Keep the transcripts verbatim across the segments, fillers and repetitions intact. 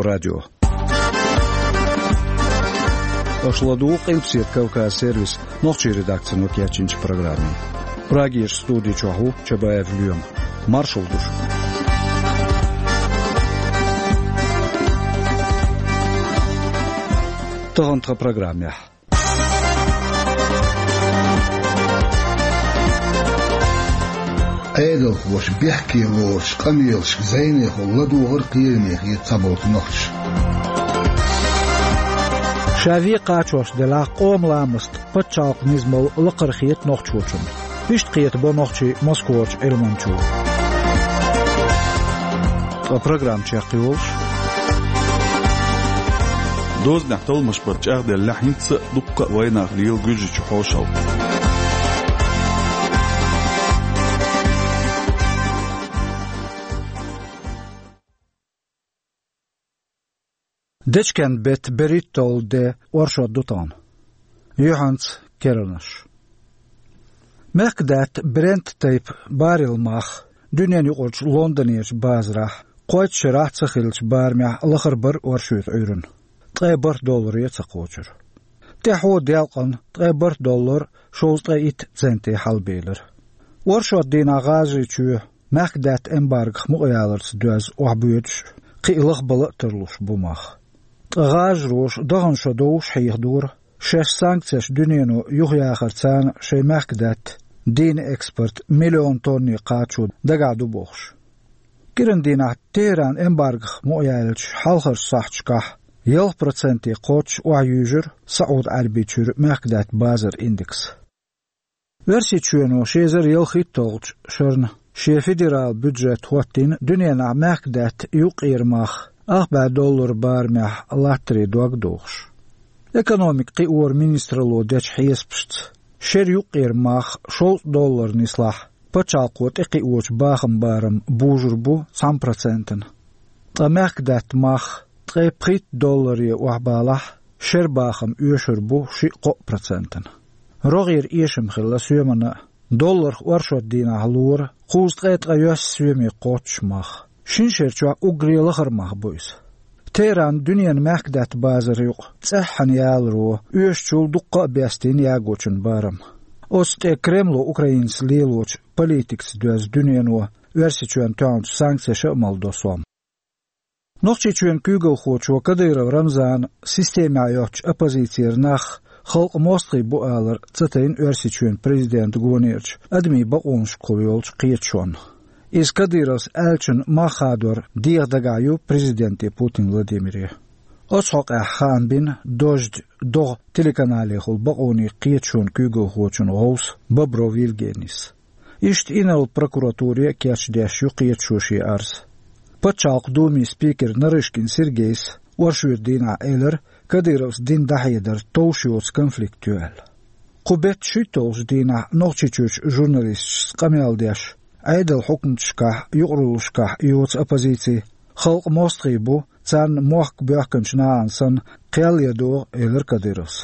Радио. Аша ладугӀу Къилбаседа Кавказ сервисан нохчийн редакцино кечйинчу программе. Прагерчу студи чохь ву Чабаев Лоьма. Маршалла ду шуьга. Тахана тхан программехь. Ӏедалхоша бехке лоручу къамелашка зӀенехула ладогӀар кхераме хета цхьаболчу нохчаша. Ша вен кхачош делахь, къоман ламаста пачхьалкхан низамалла лакхара хета нохчочунна. Иштта кхетабо нохчий Москварчу Ӏилманчо. Ткъа программа чекхйолуш. Дозанехь талламаш бара чӀагӀделлехь, хӀинца а дуккха а вайнах лела Гуьржичу хьошалгӀа. Дечкен-беттан берхӀитталгӀа де оршот ду тахана. Юьхьанца керланаш. Мехкдаьтта Брент тайпа баррел мах дуьненаюкъарчу Лондонерчу базарахь кхойтта шарахь ца хиллачу барамехь лахара бара оршотан Ӏуьйранна. Ткъе бархӀ долларе ца кхочура. ТӀаьхьо делкъана ткъе бархӀ доллар шовзткъе итт центе хьалабелира. Оршот дийнахь ГӀажарийчоь мехкдаьтта эмбаргох мукъаяларца доьзна охьабоьдуш, кхин а лахбала а тарлуш бу мах. Ткъа гӀажароша дахана шо довш хьехадора, шаьш санкцеш дуьнено юхаяхарца шайн мехкдаьтта дийна экспорт миллион тонне кхачо дагахь ду бохуш. КӀиран дийнахь Техеран эмбаргох мукъаяьллачу хьалхарчу сахьташкахь ялх проценте кхоччуш охьаюьйжира СаӀуд-Ӏаьрбийчуьра мехкдаьтта базаран индекс. Оьрсийчоьно ши эзар ялхитталгӀачу шарна шен федералан бюджет хӀоттийна дуьненахь мехкдаьтта юккъера мах ах бӀе доллар барамехь латтаре дог дохуш. Экономика кхиоран министралло дечу хьесапашца, шеран юккъера мах шовзткъа доллар нислахь, пачхьалкхо тӀекхиочу бахаман барам бужур бу цхьана процентана. Ткъа мехкдаьтта мах ткъе пхийтта долларе охьабалахь, шеран бахам оьшур бу шиъ-кхоъ процентана. РогӀера эшам хилла соьмана а, долларх оршот дийнахь лора кхузткъе ткъайоьсна соьме кхоччуш мах. Шина шера чохь уггаре лахара мах бу иза. Техеран дуьненан мехкдаьтта базар юкъа цӀеххьана яларо оьшучул дуккха а бестийна ягочун барам. Оцу тӀе Кремло Украинаца лелочу политикаца доьзна дуьнено Оьрсийчоьнна тоьхначу санкцеша а малдо сом. Нохчийчоьнан куьйгалхочо Кадыров Рамзана системехь йоцучу оппозицера нах халкъан мостагӀий бу алар ца тайна Оьрсийчоьнан президентан гонерчу адамийн бакъонашкахула йолчу кхеташонна. Иза Кадыровс аьллачун мах хадор деха дагахь ю президенте Путин Владимире. Оцу хьокъехь хаам бина «Дождь» догӀа телеканалехула бакъонийн кхеташонан куьйгалхочун гӀовса Бобров Евгенис. Иштта инарла прокуратуре а кечдеш ю кхеташо шен арз. Пачхьалкхан Думин спикера Нарышкин Сергейс оршотан дийнахь элира, Кадыровс дина дӀахьедар товш йоцу конфликт ю аьлла. Кху беттан шуьйтталгӀачу дийнахь Нохчийчуьрчу журналисташца къамел деш, Ӏедалан хьукматашкахь, юкъараллашкахь йоцу оппозици халкъан мостагӀий бу, царна мохк боьхкинчу нахана санна кхел ян догӀу, элира Кадыровс.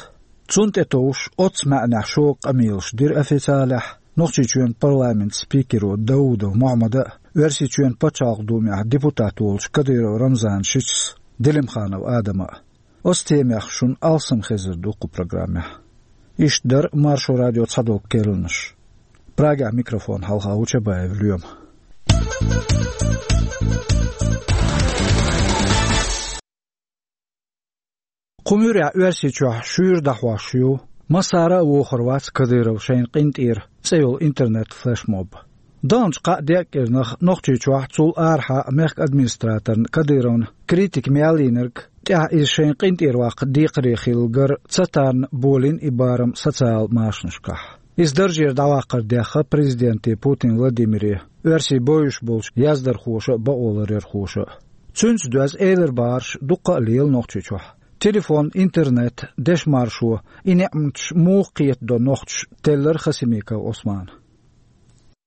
Цунна тӀетовжуш оццу маьӀнехь шога къамелаш дира официалехь Нохчийчоьнан парламентан спикеро Даудов Мухьаммада а, Оьрсийчоьнан Пачхьалкхан Думехь депутат волчу Кадыров Рамзанан шичас Делимханов Адама а. Оцу темех шуна алсам хезар ду кху программехь. Иштта дара Маршо радион цхьадолу керланаш. Прагехь микрофон хьалха ву Чабаев Лоьма. Кху муьрехь Оьрсийчохь шуьйра дӀахьош ю, массара а вохур вац Кадыров шайна къинтӀера цӀе йолу интернет-флешмоб. Даханчу кхаа-деа кӀирнах Нохчийчохь, цул арахьа мехкан администраторна Кадыровна критика мел йинарг, тӀаьхьа иза шайна къинтӀера ваккха декхаре хилла гар ца тарна болийна и барам социал машанашкахь. Иза даржера дӀаваккхар дехха президенте Путин Владимире, оьрсийн бовзуш болчу яздархоша а, бакъоларъярхоша а. Цуьнца доьзна элира бахарш дуккха а лела Нохчийчохь. Телефон, интернет, дешан маршо, и неӀматаш муха кхетадо нохчаша, теллира Хасимиков Ӏусмана.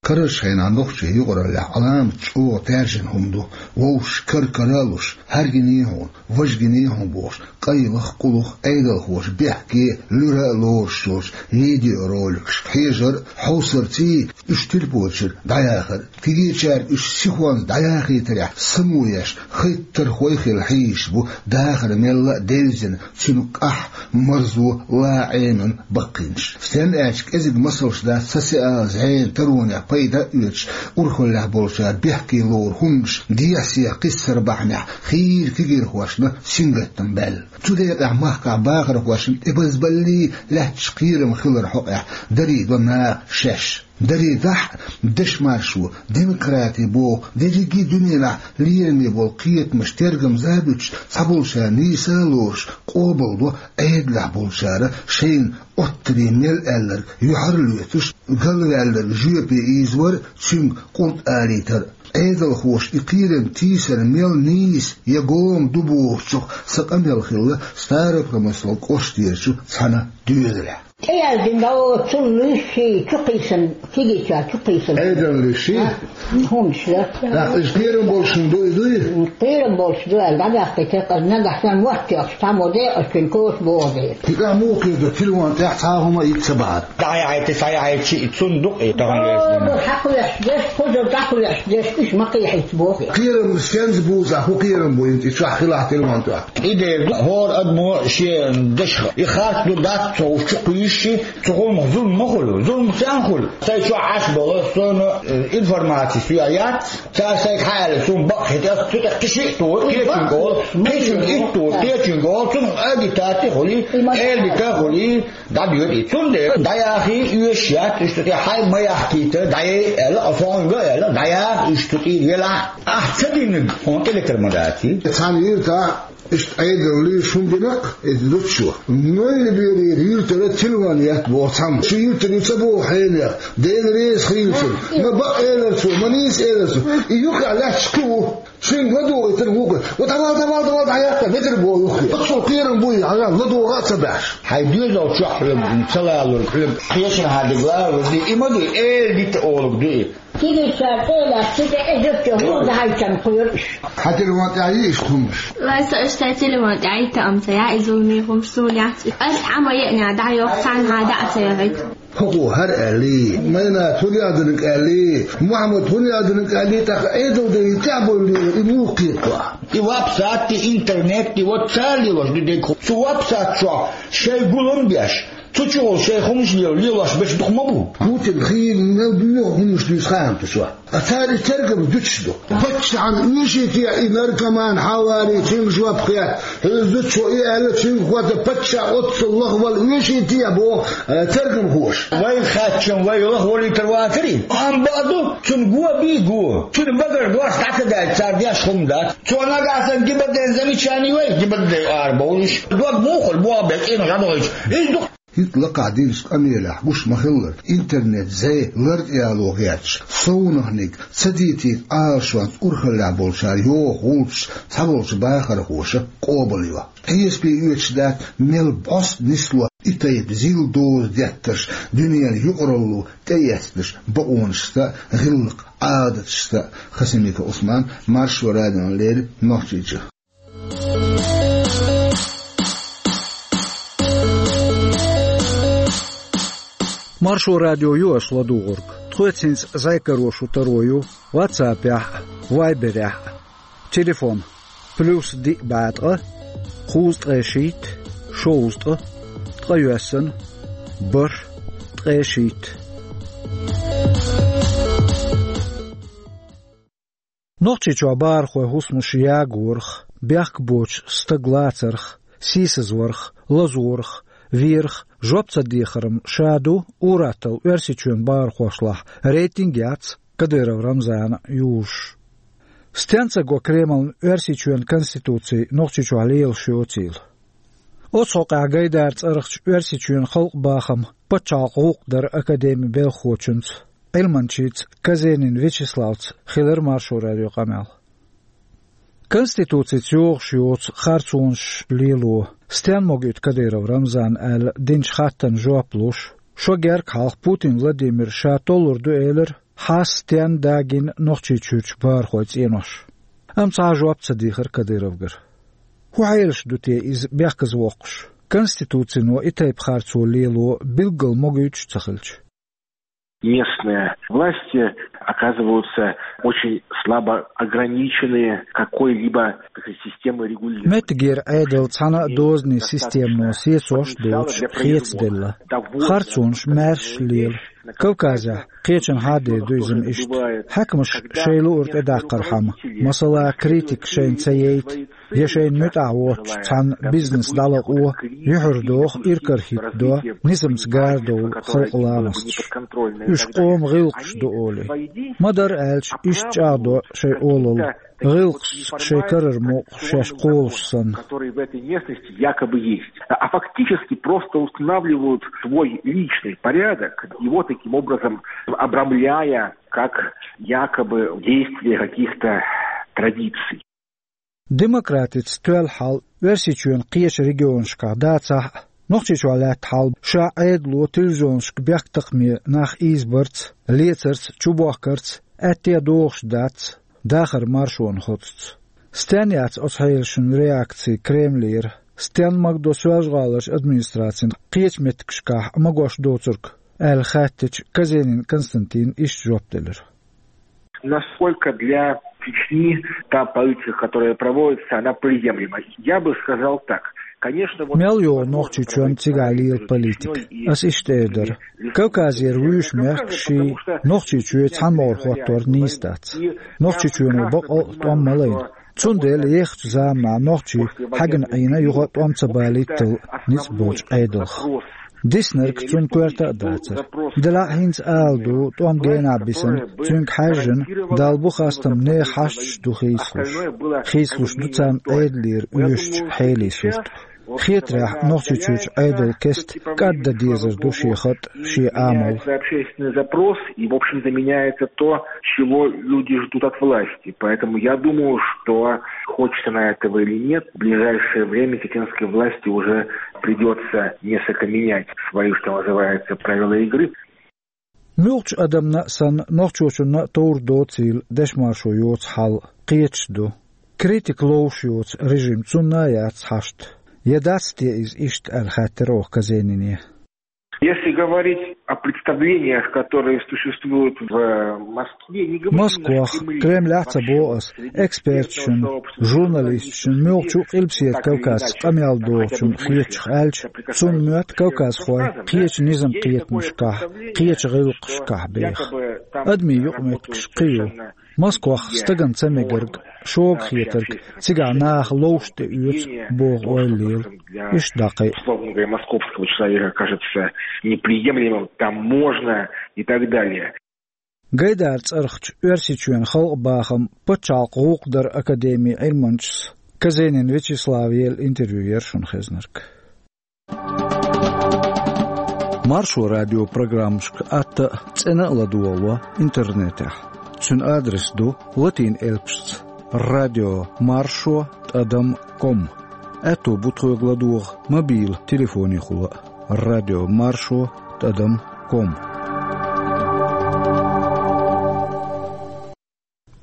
Карарчу хенахь нохчийн юкъараллехь Ӏаламат чӀогӀа таьржина хӀума ду. Вовшашка кара-кара а луш, хьаьргиний хьуна, важгиний хьуна бохуш, къайлаха, къулаха, Ӏедалхоша бехке, луьра а лоруш йолчу видеороликашка хьежар а, хьовсарций, уьш телефонашкара дӀаяхар а. Кегийчаьрга уьш сихонца дӀаяхийтарехь само еш, хеттархой а хилла хьийзаш бу, дахар мелла а девзина, цуьнан къахь, марзо, ла Ӏемина баккхийнаш. Стенна аьлча, кӀезиг масалш дац, саци ала зӀенан таронех пайда а оьцуш, урхаллехь болчара бехке лору хӀуманаш дехьа-сехьа кхиссар бахьанехь хийра кегийрхошна сингаттам баьлла. Цу декъехь махкахь бахархошна тӀебазбаллий лаьтташ кхерам хилар хьокъехь дарий до наха шаьш. Дарий дахь а, дешмаршо, демократи боху дерриге а дуьненахь лераме болу кхетамаш тергамза а буьтуш, цхьаболчара нийса а лоруш, къобалдо Ӏедалехь болчара шайна оттаре мел аьлларг юьхьарлоьцуш, галваьлларг жоьпе ийзавар а, цуьнга къурд алийтар а. Ӏедалхоша и кхерам тийсар мел нийса я гома ду бохучух сан къамел хилла Старопромысловски кӀоштерчу цхьана доьзалехь. ТӀеяздина дан оцу луьйш ший чукхийсан, кегийчара чукхийсан. Ӏедалан луьйш ший? А, хӀуманаш да. ТӀаккха иза кхерам болуш хӀума ду, иза дуй? Кхерам болуш ду аьлла, дӀабаьккхийтира, нагахь санна мотт йоккхуш, цхьаммо декъазчуьнан коша боху дела. КхидӀа муха кхетар, телефон тӀехь цхьа а хӀума а йита ца бахьара? ДӀахьаьхьийта, схьахьийта, шиъ цунна ду-кх и тахана лерзина. Хьакхоьхьуш дерш, кхузара дӀакхоьхьуш дерш, уьш ма кхехьийта боху. Кхерам стенца бу, хӀун кхерам бу, и чохь хилахь телефон тӀехь? И дера ду, хӀора адамо шен дашах и харц ду дац ца хууш чукхуьйсуш, цу хӀуманах зулам ма хуьлу. Зулам стенна хуьлу? Сайн чохь Ӏаш болу, суна, э, информаци соьга яц. Цара сайга хьааьлла, суна бакъ хӀита, цу тӀе кхин шиъ туху, кхечуьнга олу, кхечуьнга итт туху, кхечуьнга олу, цунах агитати хуьлий, элита хуьлий, дӀадоьду и. Цундела дӀаяхий оьшуш яц, уьш цу тӀе хьай ма яхкийта, дӀаяй аьлла, а со хьуьнга а аьлла, дӀаяха уьш цу тӀера велахь а. Ахь ца динарг хьуна тӀелетар ма дац и. Цхьана юьртахь Иштта Ӏедалан луьйш хӀума дина-кх иза зудчо. Нойлаберера юьртара телефон етта боху цхьамма. Шен юьртара ю ца боху хьенех, Дела реза хуьлда цунна. Ма бакъ элира цо, ма нийса элира цо. И юххехь лаьтташ кхин ву. Шуьнга ладугӀуьйтура вукху. Ва давай, давай, давай, дӀаяккха, метр боху юххе. Оццул кхерам буй, хьажал, ладогӀа а ца баьхьаш. Хьайн доьзал чохь хьоьга ца лалург, хьоьга хьешан хьан дигла а вази, и ма дуй, эла дита олуг ду и. Кегийчара тӀе а лаьцна, цу тӀе э зудчо хӀума дахьийтина кхоьру уьш. Хьан телефон тӀехь йий иштта хӀуманаш? Вай, со уьш сайн телефон тӀехь йита а ма ца яьхьа, и зуламе хӀуманаш суна яц. Ас хьан ма еанехь дӀайоху, цхьанхьа дӀа а ца яхийта. ХӀокхо хӀара аьллий, Майнат хӀун яздинарг аьллий, Мухьаммад хӀун яздинарг аьллий, тӀаккха Ӏедал дайна тӀехь болу лелар и муха кхета? И вапсатти, интернетти, вот цара лелош ду дерг хӀу. Цу вапсат чохь шайн гулам беш, цу чухула шайн хӀуманаш лела, лелош берш дукха ма бу. Путин хийла мел боьха хӀуманаш дуьйцу хаам ду цо. Ткъа цара и тергам дуьтуш ду. Паччахьна оьший те и наркоман хьавари, цуьнга жоп хетта? Хьуьза ду цо и аьлла, цуьнга хӀоттар паччахь оццул лахвала оьший те боху, э, тергамхоша. Вай хаьттича, вай лахвалийтар вацарий? Амма бакъ ду, цунна го бий го. Цуьнан багара дош дӀа ца даьлча, цара деш хӀума дац. Цо нагахь санна гибаден замечани вай, гибаден арабовлуш. Дог муха хуьлу, боху бен цӀена гӀадгӀойчу. Иза ду. ХӀинца лакхахь динчу къамелехь гуш ма-хиллара, интернет зӀе лар тӀе яло гӀерташ, совнахниг ца дийцийта Ӏалашонца урхаллехь болчара йоху гӀулчаш цхьаболчу бахархоша къобалйо. Хьесапе оьцуш дац, мел бӀоста нисло и тайпа зил доза деттарш дуьненан юкъаралло тӀеэцнарш бакъонашца а, гӀиллакх-Ӏадаташца а. Хасимиков Ӏусман, Маршо радиона леррина, Нохчийчу. Маршо радио ю аша ладугӀург. Тхоьца хӀинца зӀе каро шун таро ю WhatsApp-ехь а, Viber-ехь а. Телефон: плюс диъ бӀе ткъа, кхузткъе шийтта, шовзткъа, ткъе йоьссана, бархӀ, ткъе шийтта. Нохчийчохь бахархойн хӀусамаш ягорах, бехк боцуш стаг лацарх, сийсазварх, лазорах, верах жоп ца дехаран ша ду ур-атталла Оьрсийчоьнан бахархошлахь рейтинг а яц Кадыров Рамзана юзуш. Стенна ца го Кремлна Оьрсийчоьнан Конституци Нохчийчохь лелаш йоцийла? Оцу хьокъехь Гайдара цӀарахчу Оьрсийчоьнан халкъан бахаман пачхьалкхан гӀуллакх даран академин белхахочуьнца, Ӏилманчица Казенин Вячеславца хилира Маршо радион къамел. Конституцица йогӀуш йоцу харцонаш лело стенна могуьйту Кадыров Рамзана аьлла динчу хаттарна жоп луш, шо герга хьалха Путин Владимира ша толлур ду элира, хьастен дагина Нохчийчуьрчу бахархойн цӀенош. Амма цхьа а жоп ца дийхира Кадыровгара. ХӀун хьелаш ду те иза бехказа воккхуш? Конституцино и тайпа харцо лело билггал могуьйтуш ца хилча. Местные власти оказываются очень слабо ограничены какой-либо такой системой регулирования. Меттигера Ӏедал цхьана а дозанийн системано сецош доцуш хецаделла. Харцонаш маьрша лела. Кавказехь кхечанхьа хьадер ду иза-м иштта. Хьаькамаш шайн луург тӀедаккхархьама, масала, критика шайна ца яйта, я шайна муьтӀахь воцчу цхьана бизнес дӀалакъо, юьхьар доху, иракарахӀитта до, низамца гардовла халкъан ламасташ. Уьш къоман гӀиллакхаш ду олий. Ма-дарра аьлча, иштта чӀагӀдо шайн олалла, гӀиллакхашца шайн карара мукъа шаьш кхолуш санна. Которые в этой местности якобы есть, а фактически просто устанавливают свой личный порядок, его таким образом обрамляя как якобы действие каких-то традиций. Демократица тоьлла хьал Оьрсийчоьнан кхечу регионашкахь дацахь а, Нохчийчохь лаьтта хьал ша Ӏедало телевизионашка бехктакхаме нах ийзабарца, лецарца, чубохкарца аьтта а догӀуш дац дахаран маршонан хоцуца. Стенна яц оцу хьелашна реакци Кремлера? Стенна магадо Соьлжа-ГӀаларчу администрацина кхечу меттигашкахь магош доцург? Аьлла хаьттича, Казенин Константина иштта жоп делира. Насколько для Чечни та политика, которая проводится, она приемлема? Я бы сказал так. Конечно, вот... Мел йогӀу Нохчийчоьнан цигахь лела политика? Ас иштта эр дара. Кавказера вуьйш мехкашший Нохчийчоь цхьаьна могӀара хӀоттор нийса дац. Нохчийчоьно бакъ а тӀом ма лайна. Цундела ехачу заманахь нохчий хьаьгна Ӏийна юха а тӀом ца балийтал ницкъ болчу Ӏедалх. Диснарг цунна коьрта а дацара. Делахь а хӀинца ала ду, тӀом генахь бисина, цуьнга хьаьжжина, Далла бу хастам, нехан хьашташ ду хийцалуш. Хийцалуш ду царна Ӏедалера оьшучу хьелийн сурт. Хетарехь, Нохчийчуьрчу Ӏедалан кеста кӀаддан дезар ду шен хатӀ, шен амал. Общественный запрос, и, в общем-то, меняется то, чего люди ждут от власти. Поэтому я думаю, что, хочет она этого или нет, в ближайшее время чеченской власти уже придётся несколько менять свои, что называется, правила игры. Муьлххачу адамна а санна, нохчочунна а товр доцийла дешмаршо йоцу хьал кхеташ ду. Критика ловш йоцу режим цунна а яц хьашт. Я дац те иза иштта, аьлла хаьттира оха Казенине. Если говорить о представлениях, которые существуют в Москве, не говорим... Москвахь, Кремлехь а ца боху ас, эксперташна, журналисташна, муьлххачу а Къилбаседа Кавказца къамел дохучунна хетачух аьлча, цунна моьтту кавказхой кхечу низам-кхетамашкахь, кхечу гӀиллакхашкахь беха. Адамийн юкъаметтигаш кхин ю. Москвахь стагана ца мегарг, шога хетарг, цигахь наха ловш тӀеоьцу боху ойла лела. Иштта дӀакхайа. Условно говоря, московского человека кажется неприемлемым, там можно и так далее. Гайдара цӀарахчу Оьрсийчоьнан халкъан бахаман пачхьалкхан гӀуллакх даран академин Ӏилманчас Казенин Вячеслава елла интервью яра шуна хезнарг. Маршо радион программашка атта а, цӀена а ладогӀало интернетехь. Цуьнан адрес ду латин элпашца: радио маршо тӀадам ком. Аьтто бу тхоьга ладогӀа мобил телефонехула а: радио маршо тӀадам ком.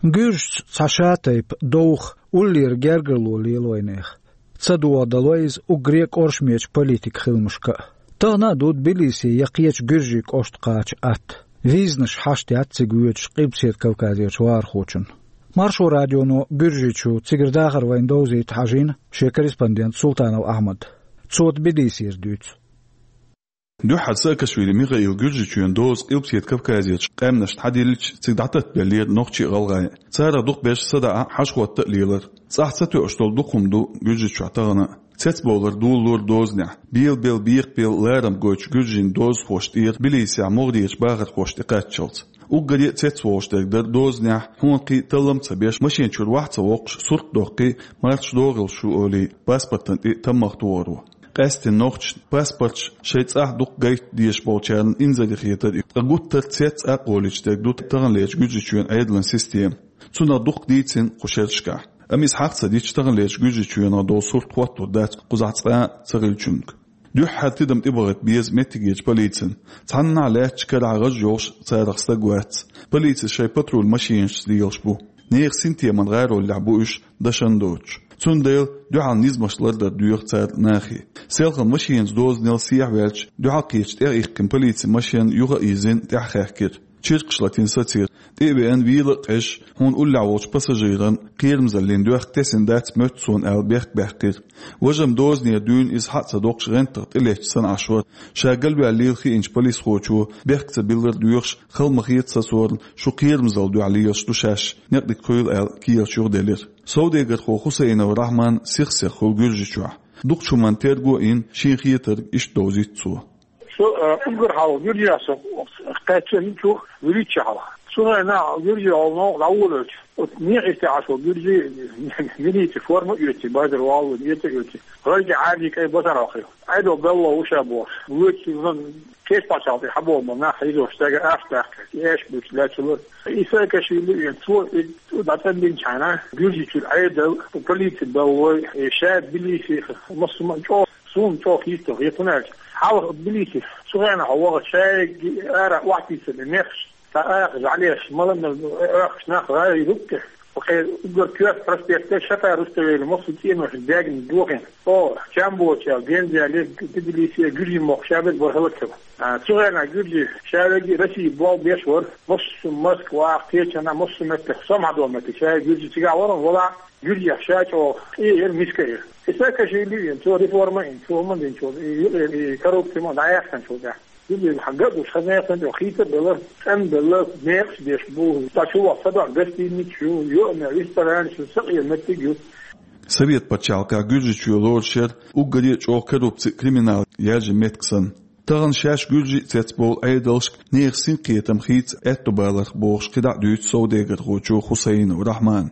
Гуьржашца цхьа шатайпа довха, уллера гергарло лела вайнехан. Ца догӀа дало иза уггаре а кӀоршамечу политикан хиламашка а. Тахана а ду Тбилиси я кхечу гуьржийн кӀошта кхача атта. Визанаш хьашт яц цига воьдучу Къилбаседа Кавказерчу вахархочунна. Маршо радионо Гуьржийчу, цигара дахар вайна довзийта, хьажийна шен корреспондент Султанов Ахьмад. Цо Тбилисера дуьйцу. Дуьххьара Саакашвили Михаила Гуьржийчоьнан доза Къилбаседа Кавказерчу къаьмнашна хьадиллича, цига дӀататтабеллера нохчий а, гӀалгӀай а. Царах дукхахберш садаӀа, хьажа-хӀотта а лелара. ЦӀахь ца тоьуш долу дукха хӀума ду Гуьржийчохь тахана а. Цецбовлар долалора дозанехь, бела-бела, бекха-бела ларам гойтучу гуьржийн дозахошна тӀера Тбилисехь могӀарерчу бахархошна тӀекхаччалц. Уггаре а цецволуш дерг дара дозанехь хьонкхий а, таллам а ца беш, машен чуьра вахь а ца воккхуш, сурт а доккхий, марташ догӀур шу олий, паспортана тӀе таммагӀа тохаро. Къаьсттина нохчашна паспорташ шайн цӀахь дукха гайта дезаш болчарна инзаре хетара и. Ткъа гуттар а цец а кхоллуьйтуш дерг ду таханлерчу Гуьржийчоьнан Ӏедалан система. Цунах дуккха дийцина кху шерашкахь. Амма иза хьагӀ ца дича, таханлерчу Гуьржийчоьнах долу сурт хӀоттор дац кхузахь цкъа а ца хиллачуьнга. Дуьххьара тидам тӀебахийта беза меттигерчу полицина. Цхьаннахьа лаьттачу карахь гӀаж йолуш царах стаг вац. Полицис шайн патруль машинашца лелаш бу. Нехан синтеман гӀароллехь бу уьш, дашна доцуш. Цундела дуьхьал низамаш лардар доьху цара нахе. Селхана машенаца дозанал сехьаваьлча, дуьхьал кхечу тӀеихкина полицин машен юха а йизина, тӀаьхьахаьхкира. Чиркхаш латийна сацийра. ТӀе а веана, вела а къежаш, хьуна уллехь волчу пассажиран кхерамзаллин доьхка тесна дац моьтту суна аьлла, бехк баьккхира. Важа-м дозанера дуьйна иза схьа а ца доккхуш, гӀентах тӀелетташ санна Ӏаш вара. Ша галваьлла лела хиъначу полисхочо, бехк ца биллар доьхуш, хала ма хета сацорна, шу кхерамзалла дуьхьа лелаш ду шаьш, некъ дика хуьлда аьлла, керлачу юхаделира. Совдегархо Хусаинов Рахьман сих-сиха хуьлу Гуьржичохь. Дукхачу хӀуманна терго а йина, шена хетарг иштта довзуьйту цо. Со, э, уггар хьалха Гуьржехь со кхаьчча хӀинцух вуьрхӀитта шу хьалха. Цу хенахь Гуьржи олу новкъа дӀаволавелча, оцу некъашца Ӏаш волу гуьржи милицин форма а оьций, базар валло эца а оьций, гӀайгӀа Ӏаьржа кӀайн базар вахийла. Ӏедал белла ву ша бохуш. ВуьрхӀитта кечпачалла тӀе хьабогӀу нах хьийзош стага аш баьккхира, и аьшпаш буьйцуш лаьцна лара. И Саакашвили веана, цо и дӀацӀанбинчхьана, Гуьржичуьра Ӏедал, полици баллой, и ша Тбилисиха, массо а чӀогӀа, суна чӀогӀа хӀитталла хета, хӀунда аьлча хьалха Тбилисиха цу хенахь вахча шайга ара охьатийсина мехаш, цхьа акха жӀалеш, маланна оьхкуш нах гӀайгӀа хӀуттуш, кхе уггар коьрта проспектера Шатара Руставели массо а цӀенош даьгна дохийна. О, чам боцуш аьлла, генза яьлла, Тбилиси, гуьржийн мохк ша берг бара хӀаллакьхилла. А, цу хенахь гуьржи ша верг Россия болх беш вара, массо а Москвахь, кхечанхьа, массо а меттехь, сомхьадолу меттиг, ша гуьржи цигахь вара, валахь, гуьржех ша чӀогӀа къе яра, миска яра. И Саакашвили веана, цо реформа а йина, цо хӀума а динчул, и юкъера, и коррупци ма дӀаяьккхинчул тӀаьхьа. Гуьржи хьан ган а гуш, хаза нехан чӀогӀа хийца а белла, цӀена белла, некъаш деш бу, цхьа чу ваха садоӀу гостиницаш ю, йоӀана ресторанаш ю, сакъера меттиг ю. Совет пачхьалкхехь Гуьржичоь лоруш яра уггаре а чӀогӀа коррупци а, криминал яьржина меттиг санна. Тахана шаьш гуьржий а цецбовлу Ӏедалшка нехан синкхетам хийца аьтто баларх бохуш кхидӀа а дуьйцу совдегархочо Хусаинов Рахьмана.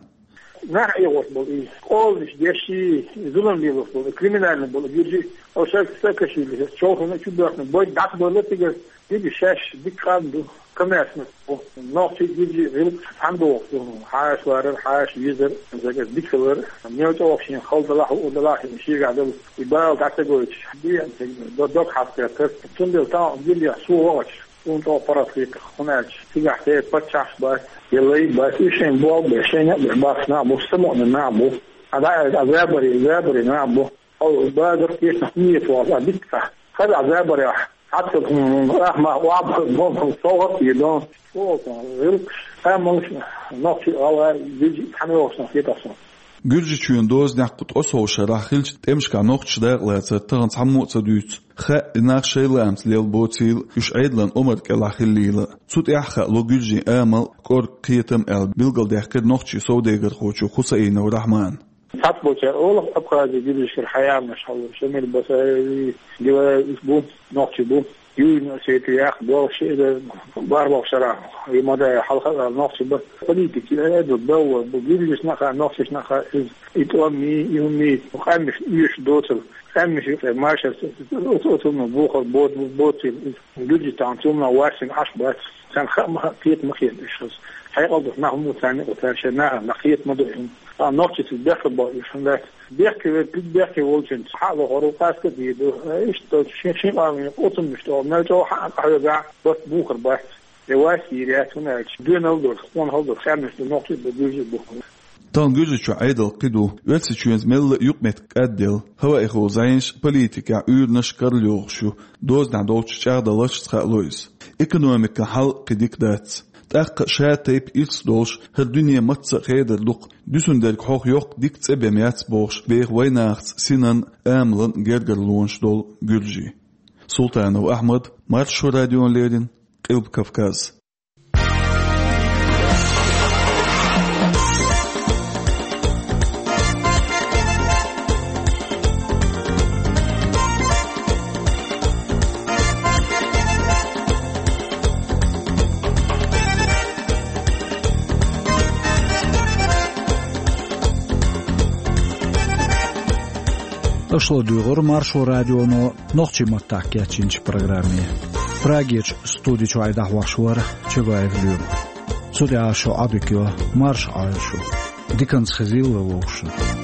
Нах Ӏехош болу и, къоланаш деш и, зулам лелош болу, криминальный болу гуьржий, оцу Саакашвили чолхана чу боьхна, бойда дӀа ца бовла цигара, дика шаьш, дика къам ду, коммерсант бу. Нохчий, гуьржий гӀиллакх цхьаьна догӀуш ду. Хьаша ларар, хьаша везар, загар дика хилар, мел чӀогӀа шена хала далахь, хӀуъа далахь, шена шегахь долу и бала дӀа ца гойтуш, дегӀан дог хьаста кхетар. Цундела тахана гуьржехь со вахча, суна чӀогӀа паргӀат хета, хӀунда аьлча цигахь те паччахьаш бац, я лай бац, уьш шайн болх беш, шайн некъ беш бахаш нах бу, самукъане нах бу. А дӀа а забаре, забаре нах бу. Хьо базар тешнах нийса вахаш, а дика ца. Хаза а забарехь, хьацца хӀума, ахма, ваб, бом, совгӀат а дон. Чу олу гӀиллакхаш, амалш, нохчий, гӀалгӀай, гуьржий, цхьаьна йогӀуш нах хетахь суна. Гуьржичоьнан дозанехь кху ткъе сов шарахь хиллачу тӀемашкахь нохчаша дакъалацар тахана цхьаммо а ца дуьйцу. Хаьа, и нах шайн лаамца лелла боцийла, уьш Ӏедалан омар кӀелахь хиллийла. Цу тӀехь хаало гуьржийн амал, кӀорга, кхетам аьлла билгалдаьккхира нохчийн совдегархочо Хусаинов Рахьмана. Цхьацца болчара олу Абхази гуьржашкара хьаямнаш хьалуш, Шамил Басаеви, Гилаев, уьш бу, нохчий бу. Южный Осетия яхха, болх ши эзар бархӀалгӀа шарахь, и ма дай хьалха а нохчий бара. Политика, э, ду, белла бу, гуьржашна а, нохчашна а иза, и тӀом, и, и хӀума, къаьмнаш оьшуш доцург, къаьмнаш юкъе машарца, оцунна бухар боцийла иза. Гуьржий тахана цунна ваьссина Ӏаш бац. Царна хаа ма хаьа, кхета ма кхета уьш хаза. Хьекъал долуш нах ма бу царна юкъа, цара шайн нахана кхета ма ду и хӀума. Ткъа нохчашца бехке бо уьш хӀума дац. Бехке верг, бехке волчуьнца хьа а лохур ву, къаста а дийр ду. Иштта долчу шен, шен къамелан оцуннаш тӀехула мел чӀогӀа хьаа къахьоьгахь, барт бухар бац. Я вас йийр яц, хӀунда аьлча доьналла долуш, къонахалла долуш къаьмнаш ду, нохчий а бу, гуьржий а бу. Тахана Гуьржичохь Ӏедал кхин ду. Оьрсийчоьнца мелла а юкъаметтиг кӀадделла, хӀаваэхула зӀенаш, политикехь уьйранаш карла йогӀуш ю, дозанехь долчу чӀагӀдаларшца хаало иза. Экономикан хьал кхин дика дац. ТӀаккха ша тайпа ирс долуш, хӀара дуьне мацца а хедар дукха, дуьсун дерг хьох йоккха дика цӀе бен яц бохуш, беха вайнахаца синан, амалан гергарлонаш долу гуьржий. Султанов Ахьмад, Маршо радиона леррина, Къилба Кавказ. Аша ладуьйгӀура Маршо радионо нохчийн маттахь кечйинчу программе. Прагерчу студи чуьра дӀахьош вара Чабаев Лоьма. Цу тӀехь шун Ӏодика йо, марша Ӏойла шу. Диканца хезийла вовшашна.